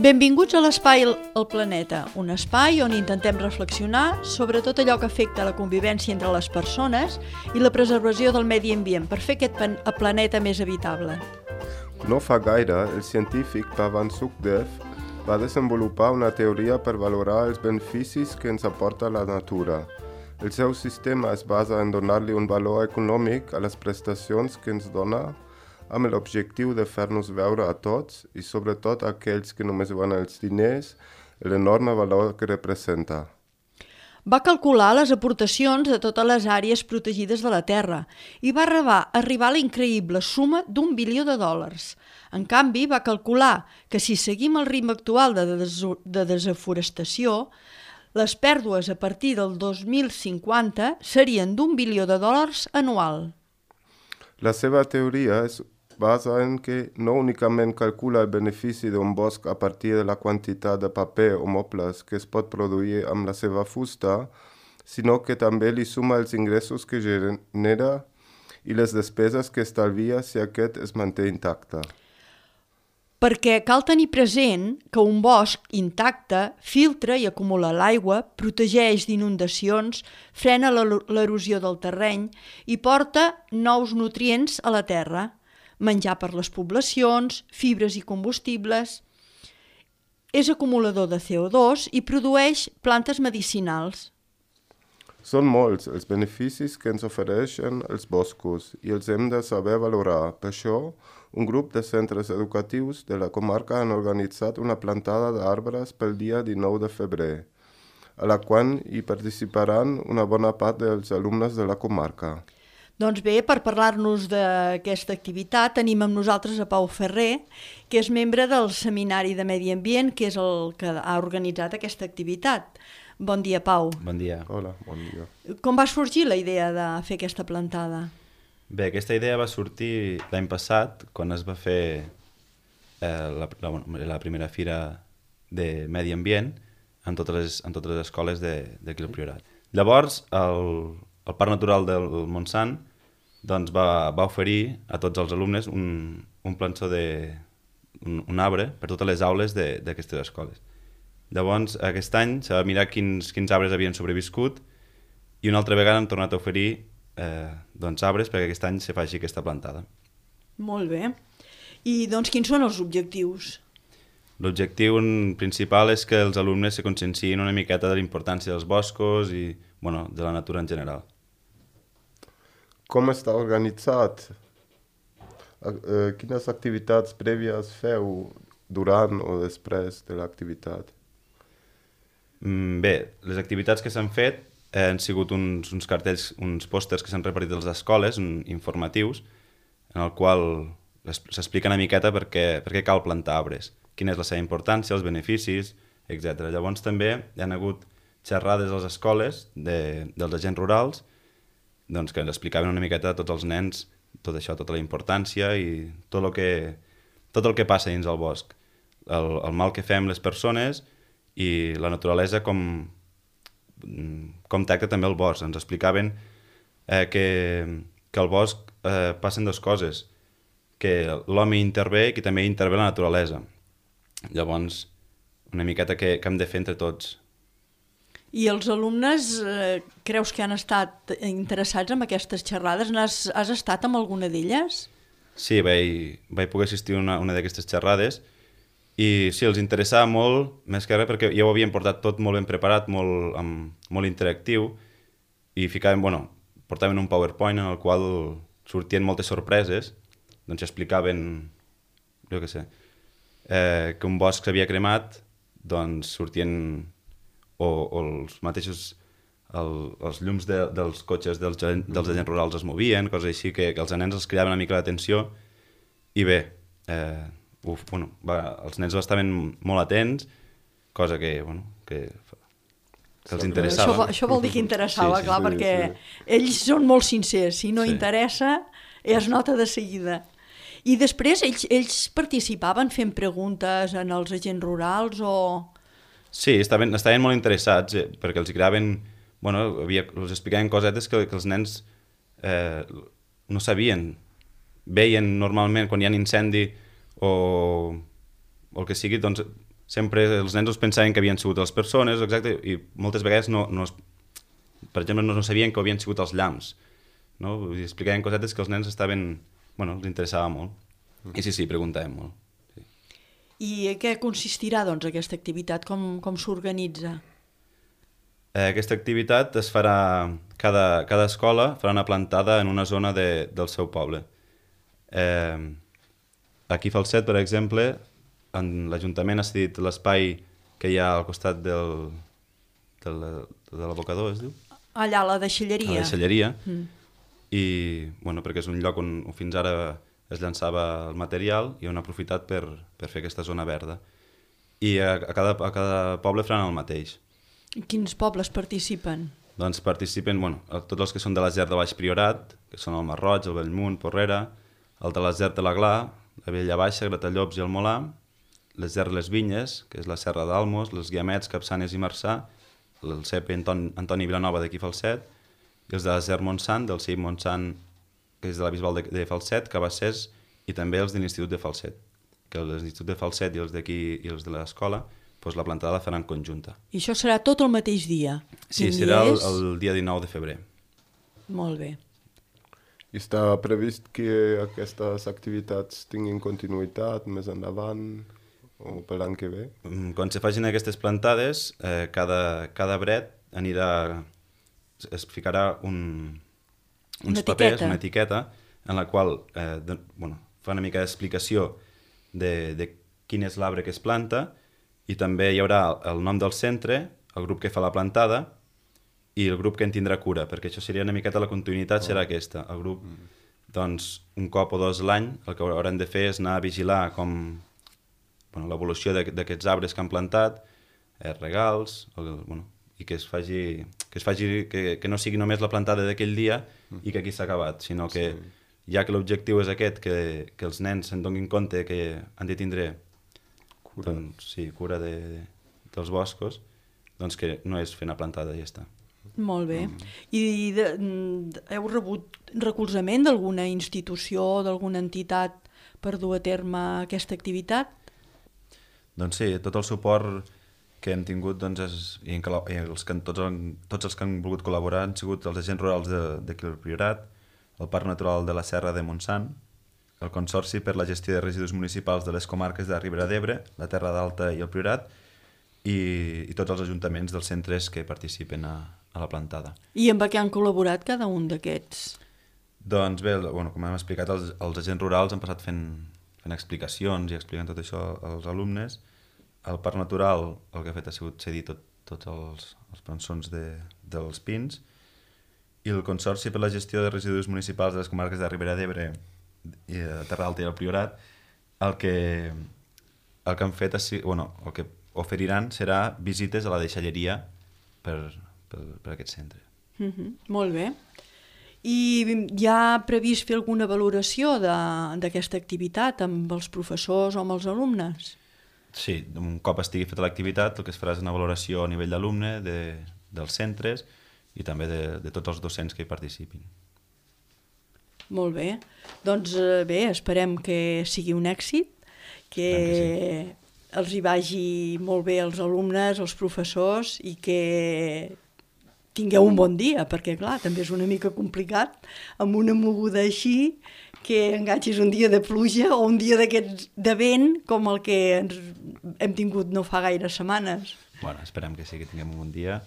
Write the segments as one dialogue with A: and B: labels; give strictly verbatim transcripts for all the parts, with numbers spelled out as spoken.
A: Benvinguts a l'Espai El Planeta, un espai on intentem reflexionar sobre tot allò que afecta la convivència entre les persones i la preservació del medi ambient per fer aquest planeta més habitable.
B: No fa gaire, el científic Pavan Sukhdev va desenvolupar una teoria per valorar els beneficis que ens aporta la natura. El seu sistema es basa en donar-li un valor econòmic a les prestacions que ens dona, amb l'objectiu de fer-nos veure a tots, i sobretot a aquells que només veuen els diners, l'enorme valor que representa.
A: Va calcular les aportacions de totes les àrees protegides de la Terra i va arribar, arribar a la increïble suma d'un bilió de dòlars. En canvi, va calcular que si seguim el ritme actual de, des de desforestació, les pèrdues a partir del dos mil cinquanta serien d'un bilió de dòlars anual.
B: La seva teoria es basa en que no únicament calcula el benefici d'un bosc a partir de la quantitat de paper o mobles que es pot produir amb la seva fusta, sinó que també li suma els ingressos que genera i les despeses que estalvia si aquest es manté intacte.
A: Perquè cal tenir present que un bosc intacte filtra i acumula l'aigua, protegeix d'inundacions, frena l'erosió del terreny i porta nous nutrients a la terra, menjar per les poblacions, fibres i combustibles. És acumulador de C O dos i produeix plantes medicinals.
B: Són molts els beneficis que ens ofereixen els boscos i els hem de saber valorar. Per això, un grup de centres educatius de la comarca han organitzat una plantada d'arbres pel dia dinou de febrer, a la qual hi participaran una bona part dels alumnes de la comarca.
A: Doncs bé, per parlar-nos d'aquesta activitat tenim amb nosaltres a Pau Ferrer, que és membre del Seminari de Medi Ambient, que és el que ha organitzat aquesta activitat. Bon dia, Pau.
C: Bon dia.
B: Hola, bon dia.
A: Com va sorgir la idea de fer aquesta plantada?
C: Bé, aquesta idea va sortir l'any passat, quan es va fer eh, la, la, la primera fira de Medi Ambient en totes les, en totes les escoles d'aquí al Priorat. Llavors, el, el Parc Natural del Montsant doncs va, va oferir a tots els alumnes un, un plançó de un, un arbre per totes les aules d'aquestes escoles. Llavors, aquest any s'ha de mirar quins, quins arbres havien sobreviscut i una altra vegada han tornat a oferir eh, doncs, arbres perquè aquest any se faci aquesta plantada.
A: Molt bé. I doncs quins són els objectius?
C: L'objectiu principal és que els alumnes se consciencien una miqueta de la importància dels boscos i bueno, de la natura en general.
B: Com està organitzat? Eh, quines activitats prèvies feu durant o després de l'activitat?
C: Mm, bé, les activitats que s'han fet eh, han sigut uns, uns cartells, uns pòsters que s'han repartit a les escoles, un, informatius, en el qual s'explica una miqueta per què, per què cal plantar arbres, quina és la seva importància, els beneficis, etcètera. Llavors també hi ha hagut xerrades a les escoles de, dels agents rurals doncs, que ens explicaven una miqueta a tots els nens tot això, tota la importància i tot el que, tot el que passa dins el bosc, el, el mal que fem les persones i la naturalesa com, com tracta també el bosc. Ens explicaven eh, que, que al bosc eh, passen dues coses, que l'home intervé i que també intervé la naturalesa. Llavors, una miqueta que, que hem de fer entre tots.
A: I els alumnes, eh, creus que han estat interessats en aquestes xerrades? Has, has estat amb alguna d'elles?
C: Sí, vaig, vaig poder assistir a una, una d'aquestes xerrades i sí, els interessava molt, més que res perquè ja ho havien portat tot molt ben preparat, molt, amb, molt interactiu i ficaven, bueno, portaven un PowerPoint en el qual sortien moltes sorpreses, doncs explicaven, jo què sé, eh, que un bosc s'havia cremat, doncs sortien o, o els mateixos el, els llums de, dels cotxes dels, dels agents rurals es movien, coses així que, que els nens els cridaven una mica l'atenció i bé, eh, uf, bueno, va, els nens estaven molt atents, cosa que, bueno, que, que els interessava.
A: Això, això vol dir que interessava,
C: sí, sí,
A: clar,
B: sí,
A: perquè
B: sí.
A: ells són molt sincers, si no
C: Sí.
A: interessa es nota de seguida. I després ells, ells participaven fent preguntes en els agents rurals o...
C: Sí, estaven, estaven molt interessats eh, perquè els creaven, bueno, havia, els explicaven cosetes que, que els nens eh, no sabien. Veien normalment quan hi ha incendi o, o el que sigui, doncs sempre els nens els pensaven que havien sigut les persones, exacte, i moltes vegades no, no es, per exemple, no, no sabien que havien sigut els llamps, no? Vull dir, explicaven cosetes que els nens estaven, bueno, els interessava molt. I sí, sí, preguntàvem molt. Sí.
A: I en què consistirà, doncs, aquesta activitat? Com, com s'organitza?
C: Eh, aquesta activitat es farà, cada, cada escola farà una plantada en una zona de, del seu poble. Eh, aquí a Falset, per exemple, en l'Ajuntament ha cedit l'espai que hi ha al costat del, del, de l'abocador, es diu?
A: Allà, a la deixalleria.
C: A la deixalleria.
A: Mm.
C: I, bueno, perquè és un lloc on fins ara es llançava el material i han aprofitat per, per fer aquesta zona verda. I a, a, cada, a cada poble faran el mateix.
A: Quins pobles participen?
C: Doncs participen, bueno, tots els que són de l'Aser de Baix Priorat, que són el Masroig, el Bellmunt, Porrera, el de l'Aser de l'Aglà, la Vella Baixa, Gratallops i el Molà, l'Aser de les Vinyes, que és la Serra d'Almos, les Guiamets, Capçanes i Marçà, el C E P Anton, Antoni Vilanova d'aquí Falset, i els de l'Aser Montsant, del C I M Montsant, que és de la Bisbal de, de Falset, Cabassers, i també els de l'Institut de Falset, que l'Institut de Falset i els d'aquí i els de l'escola, doncs la plantada la faran conjunta.
A: I això serà tot el mateix dia?
C: Sí, serà el, el dia dinou de febrer.
A: Molt bé.
B: I està previst que aquestes activitats tinguin continuïtat més endavant o per l'any que ve?
C: Quan se facin aquestes plantades, eh, cada, cada bret anirà, es ficarà un, uns
A: una
C: papers,
A: etiqueta.
C: una etiqueta, en la qual eh, de, bueno, fa una mica d'explicació de, de quin és l'arbre que es planta, i també hi haurà el nom del centre, el grup que fa la plantada i el grup que en tindrà cura, perquè això seria una miqueta la continuïtat, serà aquesta. El grup, doncs, un cop o dos l'any, el que hauran de fer és anar a vigilar com bueno, l'evolució d'aquests arbres que han plantat, eh, regals, el, bueno, i que es faci, que, es faci que, que no sigui només la plantada d'aquell dia i que aquí s'ha acabat, sinó que sí. Ja que l'objectiu és aquest, que, que els nens se'n donin compte que han de tindre cura, doncs, sí, cura de, de, dels boscos, doncs que no és fer una plantada i ja està.
A: Molt bé. Mm. I de, de, heu rebut recolzament d'alguna institució o d'alguna entitat per dur a terme aquesta activitat?
C: Doncs sí, tot el suport que hem tingut, doncs, és, i, en, i els que, tots, tots els que han volgut col·laborar han sigut els agents rurals d'aquí al Priorat, el Parc Natural de la Serra de Montsant, el Consorci per la Gestió de Residus Municipals de les comarques de Ribera d'Ebre, la Terra d'Alta i el Priorat, i, i tots els ajuntaments dels centres que participen a, a la plantada.
A: I amb què han col·laborat cada un d'aquests?
C: Doncs bé, bueno, com hem explicat, els, els agents rurals han passat fent, fent explicacions i explicant tot això als alumnes. El Parc Natural el que ha fet ha sigut cedir tot, tots els, els plançons de, dels pins, i el Consorci per la Gestió de Residus Municipals de les comarques de Ribera d'Ebre i de Terra Alta i el Priorat, el que, el que han fet, és, bueno, el que oferiran serà visites a la deixalleria per, per, per aquest centre.
A: Mm-hmm. Molt bé. I hi ha previst fer alguna valoració d'aquesta activitat amb els professors o amb els alumnes?
C: Sí, un cop estigui feta l'activitat, el que es farà és una valoració a nivell d'alumne de, dels centres i també de, de tots els docents que hi participin.
A: Molt bé. Doncs bé, esperem que sigui un èxit, que, que sí. Els hi vagi molt bé als alumnes, als professors, i que tingueu un bon dia, perquè clar, també és una mica complicat amb una moguda així, que enganxis un dia de pluja o un dia d'aquests de vent com el que ens hem tingut no fa gaire setmanes.
C: Bueno, esperem que sí, que tinguem un bon dia.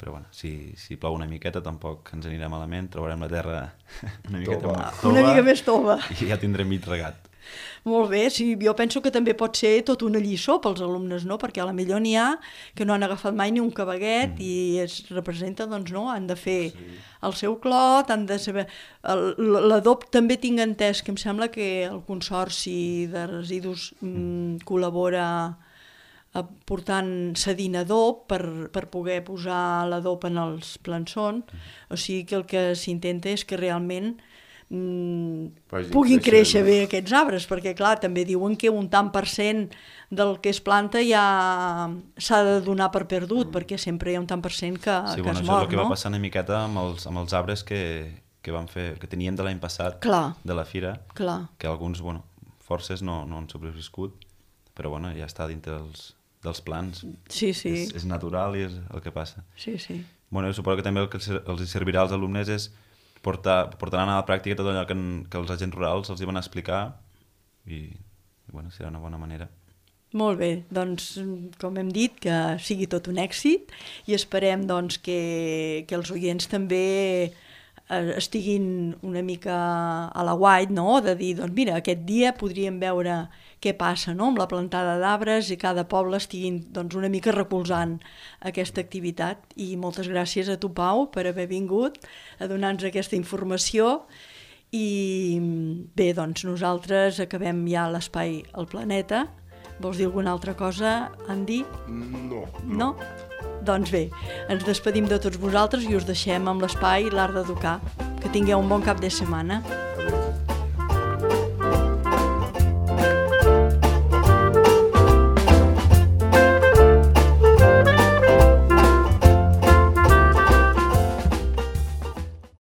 C: Però bueno, si, si plou una miqueta tampoc ens anirà malament, trobarem la terra una miqueta
B: tova.
C: tova,
A: una mica més tova.
C: I ja tindrem mig regat.
A: Molt bé, sí, jo penso que també pot ser tot una lliçó pels alumnes, no? Perquè a la millor n'hi ha que no han agafat mai ni un cabaguet mm. i es representa, doncs no, han de fer sí. el seu clot, han de saber... L'adob també tinc entès que em sembla que el Consorci de Residus mm, col·labora portant cedint adob per, per poder posar l'adob en els plançons, o sigui que el que s'intenta és que realment mm, puguin créixer bé aquests arbres, perquè clar, també diuen que un tant per cent del que es planta ja s'ha de donar per perdut, mm. perquè sempre hi ha un tant per cent que,
C: sí,
A: que
C: bueno,
A: es
C: mor, no? Això és el que
A: no?
C: va passar una miqueta amb els, amb els arbres que, que, van fer, que teníem de l'any passat,
A: clar.
C: de la fira,
A: clar.
C: que alguns, bueno, forces no, no han sobreviscut, però bueno, ja està dintre dels, dels plans.
A: Sí, sí.
C: És, és natural i és el que passa.
A: Sí, sí.
C: Bueno, suposo que també el que els servirà als alumnes és portar, portaran a la pràctica tot allò que, en, que els agents rurals els hi van explicar i, i bueno, serà una bona manera.
A: Molt bé, doncs com hem dit, que sigui tot un èxit i esperem doncs, que, que els oients també estiguin una mica a la guait, no? De dir, doncs mira, aquest dia podríem veure què passa, no? Amb la plantada d'arbres i cada poble estiguin doncs, una mica recolzant aquesta activitat. I moltes gràcies a tu, Pau, per haver vingut a donar-nos aquesta informació. I bé, doncs nosaltres acabem ja l'Espai al Planeta. Vols dir alguna altra cosa, Andy?
B: No.
A: No? Doncs bé, ens despedim de tots vosaltres i us deixem amb l'Espai L'Art d'Educar. Que tingueu un bon cap de setmana.